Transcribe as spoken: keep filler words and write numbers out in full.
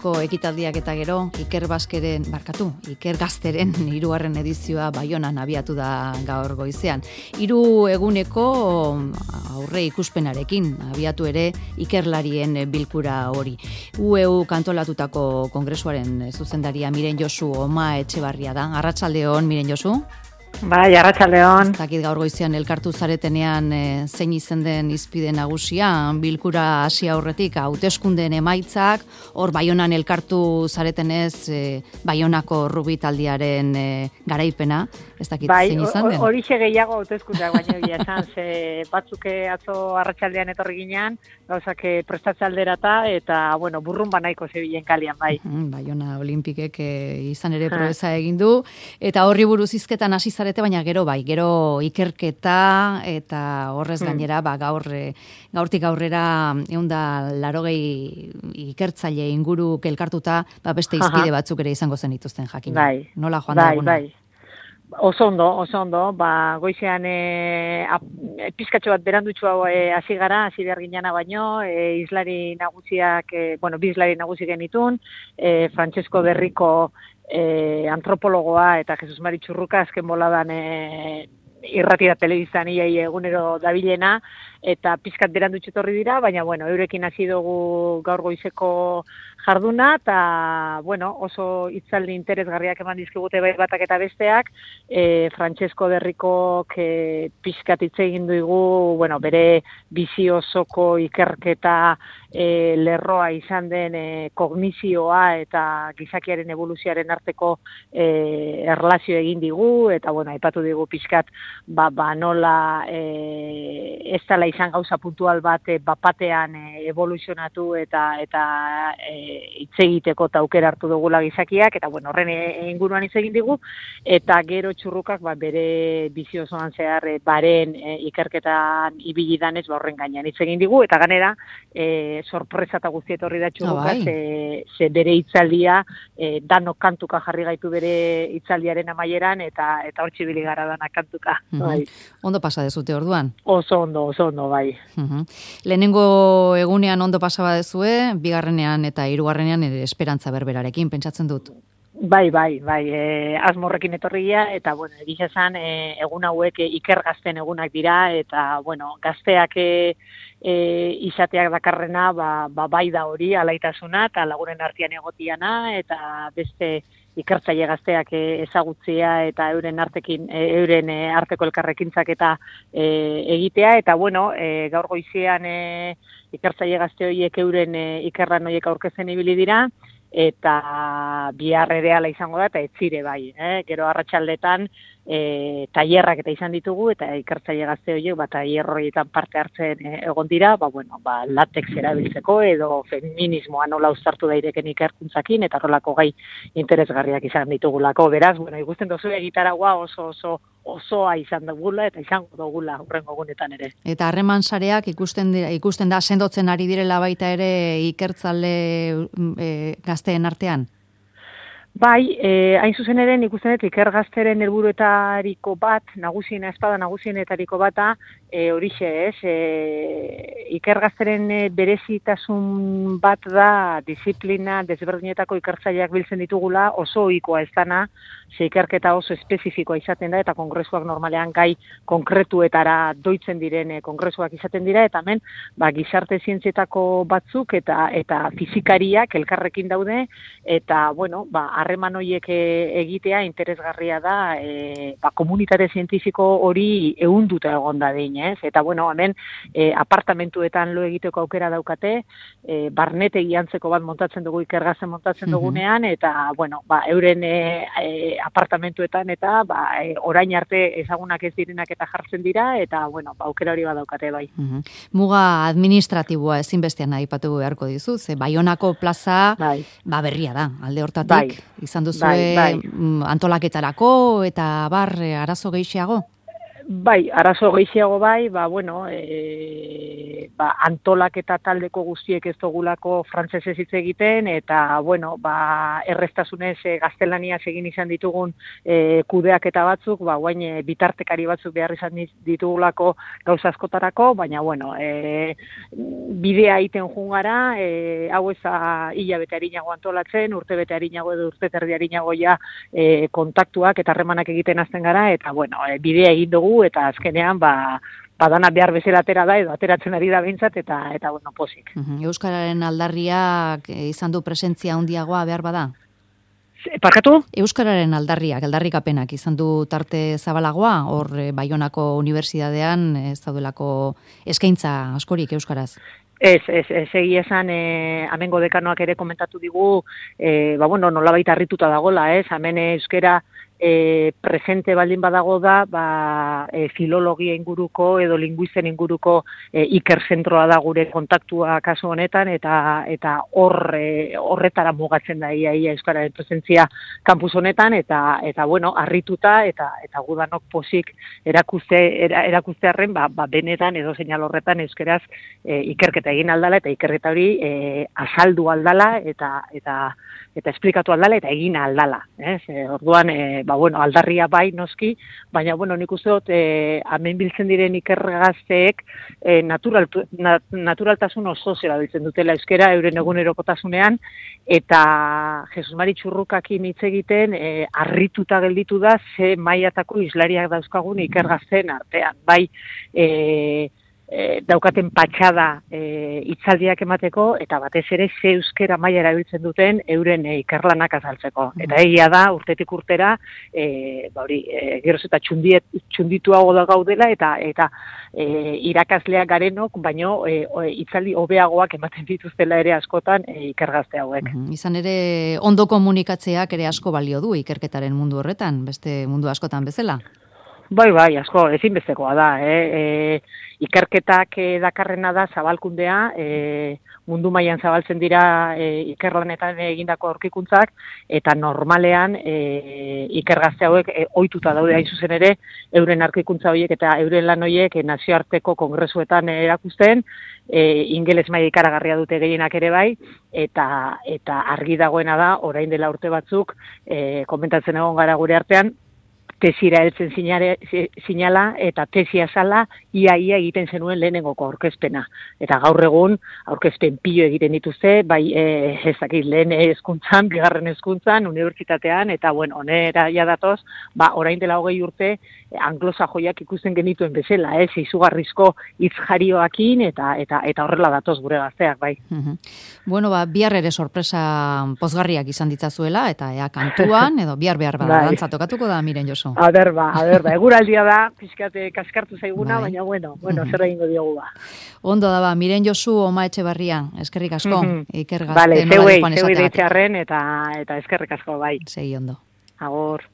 eguneko ekitaldiak eta gero, Iker Baskeren, barkatu, Iker Gazteren hirugarren edizioa Baionan abiatu da gaur goizean. Hiru eguneko aurre ikuspenarekin abiatu ere ikerlarien bilkura hori. U E U kantolatutako kongresuaren zuzendaria Miren Josu Oma Etxebarria da. Arratsaldeon, Miren Josu. Bai, arratsaldeon. Ez dakit gaur goizean elkartu zaretenean e, zein izen den izpide nagusia, bilkura hasi aurretik hauteskundeen emaitzak, hor Baionan elkartu zaretenez e, Baionako rugby taldearen e, garaipena, ez dakit bai, zein izan den? Bai, horixe gehiago hauteskundeak baino egia esan, ze batzuke atzo arratsaldean etorri ginean, gauzak prestatze alderata, eta, bueno, burrun banaiko zebilen kalian, bai. Baiona Olimpikek e, izan ere proeza egin du, eta horri buruz hizketan hasi zarete, baina gero bai, gero ikerketa eta horrez gainera, ba, gaur, gaurtik aurrera ehun eta laurogei ikertzaile inguru elkartuta, ba, beste izpide batzuk ere izango zen dituzten jakin. Bai, nola joan bai, da eguna? Bai. Oso ondo, oso ondo, ba, goizean e, pizkatxo bat berandutxua hasi e, gara, hasi behar ginana baino, e, izlari nagusiak, e, bueno, bi izlari nagusi genitun, e, Francesco Berriko e, antropologoa eta Jesus Mari Txurruka azken boladan e, irrati da telebiztan iai egunero dabilena, eta pizkat berandutxu etorri dira, baina, bueno, eurekin hasi dugu gaur goizeko jarduna, eta, bueno, oso hitzaldi interesgarriak eman dizkigute bai batak eta besteak, e, Francesco Berrikok e, pizkat hitz egin dugu, bueno, bere bizi osoko ikerketa e, lerroa izan den e, kognizioa eta gizakiaren evoluzioaren arteko e, erlazio egin digu, eta, bueno, aipatu digu pizkat, ba, ba nola e, ez dela izan gauza puntual bat e, bapatean e, evoluzionatu eta eta hitz e, egiteko eta aukera hartu dugula gizakiak, eta bueno, horren inguruan hitz egin digu, eta gero Txurrukak ba, bere bizi osoan zehar e, baren e, ikerketan ibili danez, ba, horren gainean hitz egin digu, eta ganera e, sorpresa eta guzti etorri da Txurrukak, ze, ze bere hitzaldia e, danok kantuka jarri gaitu bere hitzaldiaren amaieran, eta eta hortxe ibili gara danak kantuka. Mm-hmm. Bai. Ondo pasa dezute orduan? Oso ondo, oso ondo, bai. Uh-huh. Lehenengo egunean ondo pasaba dezue, bigarrenean eta hirugarrenean ere esperantza berberarekin, pentsatzen dut. Bai, bai, bai, e, asmorrekin etorria, eta, bueno, egiz esan, e, egun hauek e, iker gazten egunak dira, eta, bueno, gazteak e, e, izateak dakarrena, ba, ba, bai da hori, alaitasuna, eta lagunen artean egotiana, eta beste ikertzaile gazteak ezagutzea eta euren artekin euren arteko elkarrekintzak eta e, egitea, eta bueno, e, gaur goizean e, ikertzaile gazte horiek euren e, ikerlan horiek aurkezen ibili dira, eta bihar ere hala izango da, eta etzire bai, eh? Gero arratsaldetan e, tailerrak eta izan ditugu, eta ikertzaile gazte horiek ba, tailer horietan parte hartzen e, egon dira, ba, bueno, ba, latex erabiltzeko, edo feminismoa nola uztartu daireken ikerkuntzakin, eta horrelako gai interesgarriak izan ditugulako. Beraz, bueno, ikusten duzu egitaragua oso oso osoa izan dugula eta izango dugula hurrengo egunetan ere. Eta harreman sareak ikusten dira, ikusten da sendotzen ari direla baita ere ikertzale e, gazteen artean? Bai, eh, hain zuzen ere ikusten dut iker gazteren helburuetariko bat, nagusiena espada nagusienetariko bata, e, horixe ez, e, iker gazteren berezitasun bat da disiplina desberdinetako ikertzaileak biltzen ditugula, oso ohikoa ez dana, ze ikerketa oso espezifikoa izaten da, eta kongresuak normalean gai konkretuetara doitzen diren kongresuak izaten dira, eta hemen ba, gizarte zientzietako batzuk eta eta fizikariak elkarrekin daude, eta bueno, ba, harreman horiek egitea interesgarria da, e, ba, komunitate zientifiko hori ehunduta egon da dein, ez? Eta bueno, hemen e, apartamentuetan lo egiteko aukera daukate, e, barnetegi antzeko bat montatzen dugu ikergazen montatzen dugunean, eta bueno, ba, euren e, e, apartamentuetan eta ba, e, orain arte ezagunak ez direnak eta jartzen dira, eta bueno, ba, aukera hori badaukate bai. Uh-huh. Muga administratiboa ezinbestean aipatu beharko dizu, ze Baionako plaza bai. Ba, berria da, alde hortatik. Bai. Izan duzue bai, bai. Antolaketarako eta bar arazo gehiago? Bai, arazo gehiago bai, ba, bueno, e, ba, antolak eta taldeko guztiek ez dugulako frantsesez hitz egiten, eta, bueno, ba, erreztasunez e, gaztelaniaz egin izan ditugun e, kudeak eta batzuk, ba, guain e, bitartekari batzuk behar izan ditugulako gauza askotarako, baina, bueno, e, bidea egiten jungara, e, hau eza hilabete harinago antolatzen, urte bete harinago edo urte terdi harinago ja e, kontaktuak eta harremanak egiten azten gara, eta, bueno, e, bidea egin dugu, eta azkenean ba badana behar bezala atera da edo ateratzen ari da behintzat eta eta bueno, pozik. Euskararen aldarriak izan du presentzia handiagoa behar bada? Parkatu? Euskararen aldarriak, aldarrikapenak izan du tarte zabalagoa, hor Baionako Unibertsitatean ez daudelako eskaintza askorik euskaraz. Ez, ez, ez, egia esan, e, amengo dekanoak ere komentatu digu, e, ba, bueno, nolabait harrituta dagola, ez, hemen euskera e, presente baldin badago da, ba, e, filologia inguruko edo linguisten inguruko e, ikerzentroa da gure kontaktua kasu honetan, eta eta hor e, horretara mugatzen da ia, ia euskararen presentzia kampus honetan, eta eta bueno, harrituta eta eta gudanok posik erakuste era, erakustearren, ba, ba benetan edo seinal horretan euskeraz e, ikerketa egin aldala eta ikerketa hori e, azaldu aldala eta eta eta esplikatu aldala eta egin aldala, ez? E, orduan e, ba bueno, aldarria bai noski, baina bueno, nik uste dut eh hemen biltzen diren ikergazteek e, natural nat, naturaltasun oso zera biltzen dutela euskera euren egunerokotasunean eta Jesus Mari Txurrukakin hitz egiten e, harrituta gelditu da ze mailatako islariak dauzkagun ikergazteen artean, bai e, E, daukaten patxada e, hitzaldiak emateko, eta batez ere ze euskera maila erabiltzen duten euren e, ikerlanak azaltzeko. Eta egia da, urtetik urtera, e, ba hori, e, geroz eta txundiet, txundituago da gaudela, eta eta e, irakasleak garenok, baino e, hitzaldi hobeagoak ematen dituztela ere askotan e, ikergazte hauek. Uhum. Izan ere, ondo komunikatzeak ere asko balio du ikerketaren mundu horretan, beste mundu askotan bezala? Bai, bai, asko, ezinbestekoa da, eh? E, ikerketak e, dakarrena da zabalkundea, e, mundu mailan zabaltzen dira e, ikerlanetan egindako aurkikuntzak, eta normalean e, ikergazte hauek e, ohituta daude hain zuzen ere, euren aurkikuntza horiek eta euren lan horiek e, nazioarteko kongresuetan erakusten, e, ingeles maila ikaragarria dute gehienak ere bai, eta eta argi dagoena da, orain dela urte batzuk, e, komentatzen egon gara gure artean, tesira heltzen sinala eta tesia zala ia ia egiten zenuen lehenengoko aurkezpena. Eta gaur egun aurkezpen pilo egiten dituzte, bai e, ez dakit lehen hezkuntzan, bigarren hezkuntzan, unibertsitatean, eta bueno, onera ja datoz, ba, orain dela hogei urte anglosajoiak ikusten genituen bezala, ez, izugarrizko hitz jarioakin, eta eta eta horrela datoz gure gazteak, bai. Uh-huh. Bueno, ba, bihar ere sorpresa pozgarriak izan ditzazuela, eta ea kantuan, edo bihar behar bada, dantza tokatuko da, Miren Josu. A ber, ba, a ber, ba, eguraldia da, pixkate kaskartu zaiguna, bai. Baina, bueno, bueno, zer egingo diogu ba. Ondo da, ba, Miren Josu Oma Etxebarria, eskerrik asko, mm-hmm. Iker Gazte vale, nolari joan esateak. Vale, zeuei, zeuei deitxarren, eta, eta eskerrik asko, bai. Segi ondo. Agor.